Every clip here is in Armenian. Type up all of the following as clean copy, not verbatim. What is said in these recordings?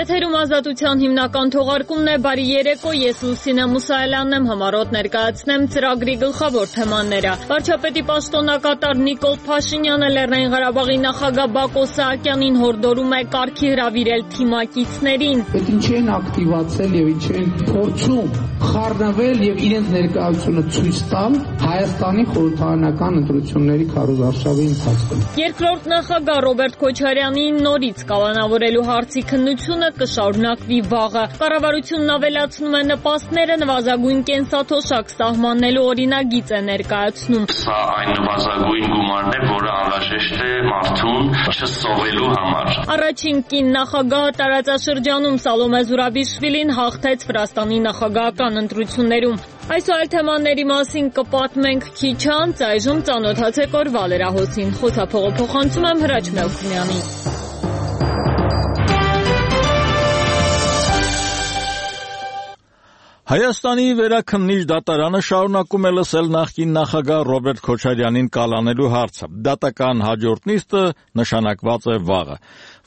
Եթերում ազատության հիմնական թողարկումն է, բարի երեկո, ես Լուսինե Մուսայելյանն եմ, համառոտ ներկայացնեմ ծրագրի գլխավոր թեմաները։ Վարչապետի պաշտոնակատար Նիկոլ Փաշինյանը Լեռնային Ղարաբաղի նախագահ Բակո Սահակյանին հորդորում է կարգի հրավիրել թիմակիցներին։ Այդ ինչ են ակտիվացել եւ ինչ են փորձում խառնվել եւ իրենց ներկայությունը ցույց տալ Հայաստանի խորհրդարանական ընտրությունների քարոզարշավի ընթացքում։ Երկրորդ նախագահ Ռոբերտ Քոչարյանին նորից կալանավորելու հարցի քննությունը կշարունակվի վաղը։ Կառավարությունն ավելացնում է նպաստները, նվազագույն կենսաթոշակ սահմանելու օրինագիծ է ներկայացնում։ Սա այն նվազագույն գումարն է, որը անհրաժեշտ է մարդուն չսովելու համար։ Առաջին կին նախագահը տարածաշրջանում Սալոմե Զուրաբիշվիլին հաղթեց Վրաստանի նախագահական ընտրություններում։ Այս ու այլ թեմաների մասին կպատմենք քիչ անց, այժմ ծանոթացեք օրվա լրահոսին։ Խոսափողը փոխանցում եմ Հրաչ Մելքումյանին։ Հայաստանի վերաքննիչ դատարանը շարունակում է լսել նախկին նախագահ Ռոբերտ Քոչարյանին կալանելու հարցը։ Դատական հաջորդ նիստը նշանակված է վաղը։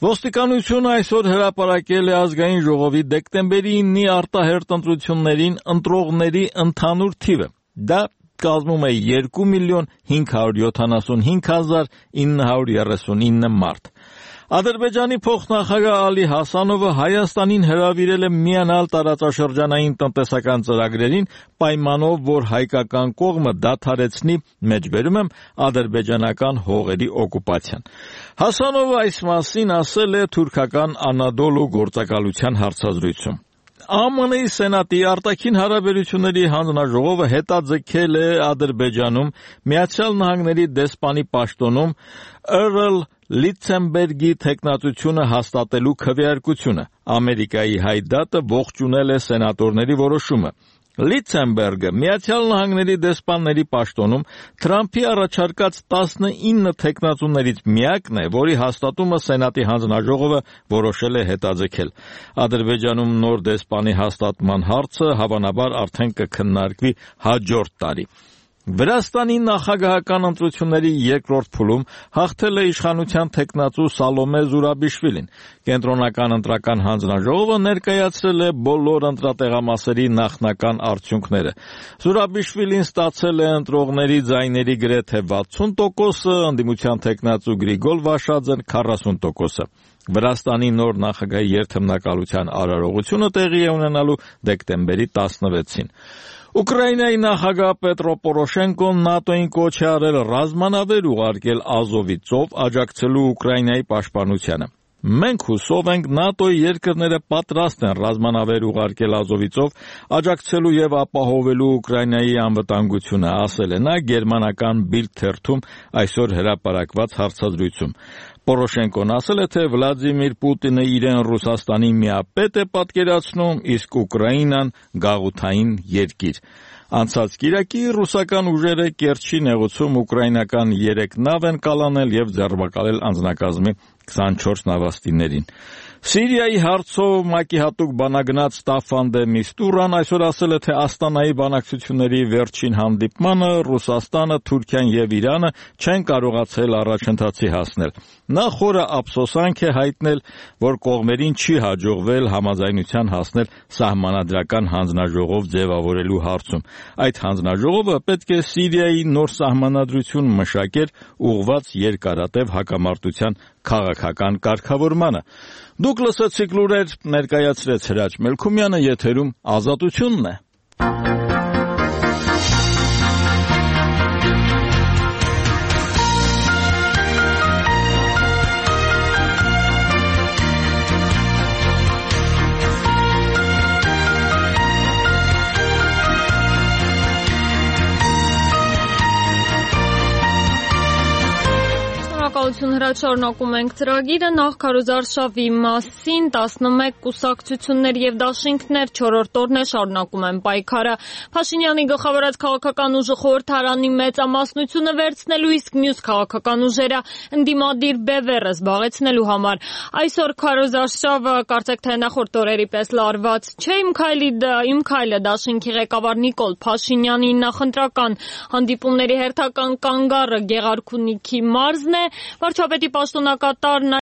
Ոստիկանությունը այսօր հրապարակել է ազգային ժողովի դեկտեմբերի 9-ի արտահերթ ընտրություններին ընտրողների ընդհանուր թիվը։ Դա կազմում է 2,575,939 մարդ։ Ադրբեջանի փոխնախագահ Ալի Հասանովը Հայաստանին հրավիրել է միանալ տարածաշրջանային տնտեսական ծրագրերին պայմանով, որ հայկական կողմը դադարեցնի, մեջբերում եմ, ադրբեջանական հողերի օկուպացիան։ Հասանովը այս մասին ասել է թուրքական Անադոլու գործակալության հարցազրույցում։ ԱՄՆ-ի Սենատի արտաքին հարաբերությունների հանձնաժողովը հետաձգել է Ադրբեջանում Միացյալ Նահանգների դեսպանի պաշտոնում Էրլ Լիցենբերգի թեկնածությունը հաստատելու քվեարկությունը։ Ամերիկայի հայդատը ողջունել է սենատորների որոշումը։ Լիցենբերգը Միացյալ Նահանգների դեսպանների պաշտոնում Թրամփի առաջարկած 19 թեկնածուներից միակն է, որի հաստատումը Սենատի հանձնաժողովը որոշել է հետաձգել։ Ադրբեջանում նոր դեսպանի հաստատման հարցը հավանաբար արդեն կքննարկվի հաջորդ տարի։ Վրաստանի նախագահական ընտրությունների երկրորդ փուլում հաղթել է իշխանության թեկնածու Սալոմե Զուրաբիշվիլին։ Կենտրոնական ընտրական հանձնաժողովը ներկայացրել է բոլոր ընտրատեղամասերի նախնական արդյունքները։ Զուրաբիշվիլին ստացել է ընտրողների ձայների գրեթե 60%, ընդդիմության թեկնածու Գրիգոր Վաշաձեն 40%։ Վրաստանի նոր նախագահի երթմնակալության արարողությունը տեղի է ունենալու դեկտեմբերի 16-ին։ Ուկրաինայի նախագահ Պետրո Պորոշենկոն ՆԱՏՕ-ին կոչ է արել ռազմանավեր ուղարկել Ազովի ծով աջակցելու Ուկրաինայի պաշտպանությանը։ Մենք հուսով ենք ՆԱՏՕ-ի երկրները պատրաստ են ռազմանավեր ուղարկել Ազովի ծով աջակցելու եւ ապահովելու Ուկրաինայի անվտանգությունը, ասել է նա գերմանական Bild թերթում այսօր հրապարակված հարցազրույցում։ Պորոշենկոն ասել է, թե Վլադիմիր Պուտինը իրեն Ռուսաստանի միապետ է պատկերացնում, իսկ Ուկրաինան գաղութային երկիր։ Անցած կիրակի ռուսական ուժերը Կերչի նեղուցում ուկրաինական 3 նավ են կալանել եւ ձերբակալել անձնակազմի 24 նավաստիներին։ Սիրիայի հարցով ՄԱԿ-ի հատուկ բանագնաց Ստաֆան դե Միստուրան այսօր ասել է, թե Աստանայի բանակցությունների վերջին հանդիպմանը Ռուսաստանը, Թուրքիան եւ Իրանը չեն կարողացել առաջընթացի հասնել։ Նա խորը ափսոսանք է հայտնել, որ կողմերին չի հաջողվել համաձայնության հասնել սահմանադրական հանձնաժողով ձևավորելու հարցում։ Այդ հանձնաժողովը պետք է Սիրիայի նոր սահմանադրություն մշակեր ուղղված երկարատև հակամարտության քաղաքական կարգավորմանը։ Դուք լսեցիք լուրեր, ներկայացրեց Հրաչ Մելքումյանը, եթերում Ազատությունն է։ Հրաչ շարունակում ենք ծրագիրը, նախ քարոզարշավի մասին 11 կուսակցություններ եւ դաշինքներ 4-րդ օրն է շարունակում են պայքարը։ Փաշինյանի գլխավորած քաղաքական ուժը խորհրդարանի մեծամասնությունը վերցնելու, իսկ մյուս քաղաքական ուժերը ընդդիմադիր բևեռը զբաղեցնելու համար։ Այսօր քարոզարշավը կարծեք թե նախորդ օրերի պես լարված չէ։ Իմ քայլը դաշինքի ղեկավար Նիկոլ Փաշինյանի նախընտրական հանդիպումների հերթական կանգառը Գեղարքունիքի մարզն է։ Վարչապետի պաշտոնակատարն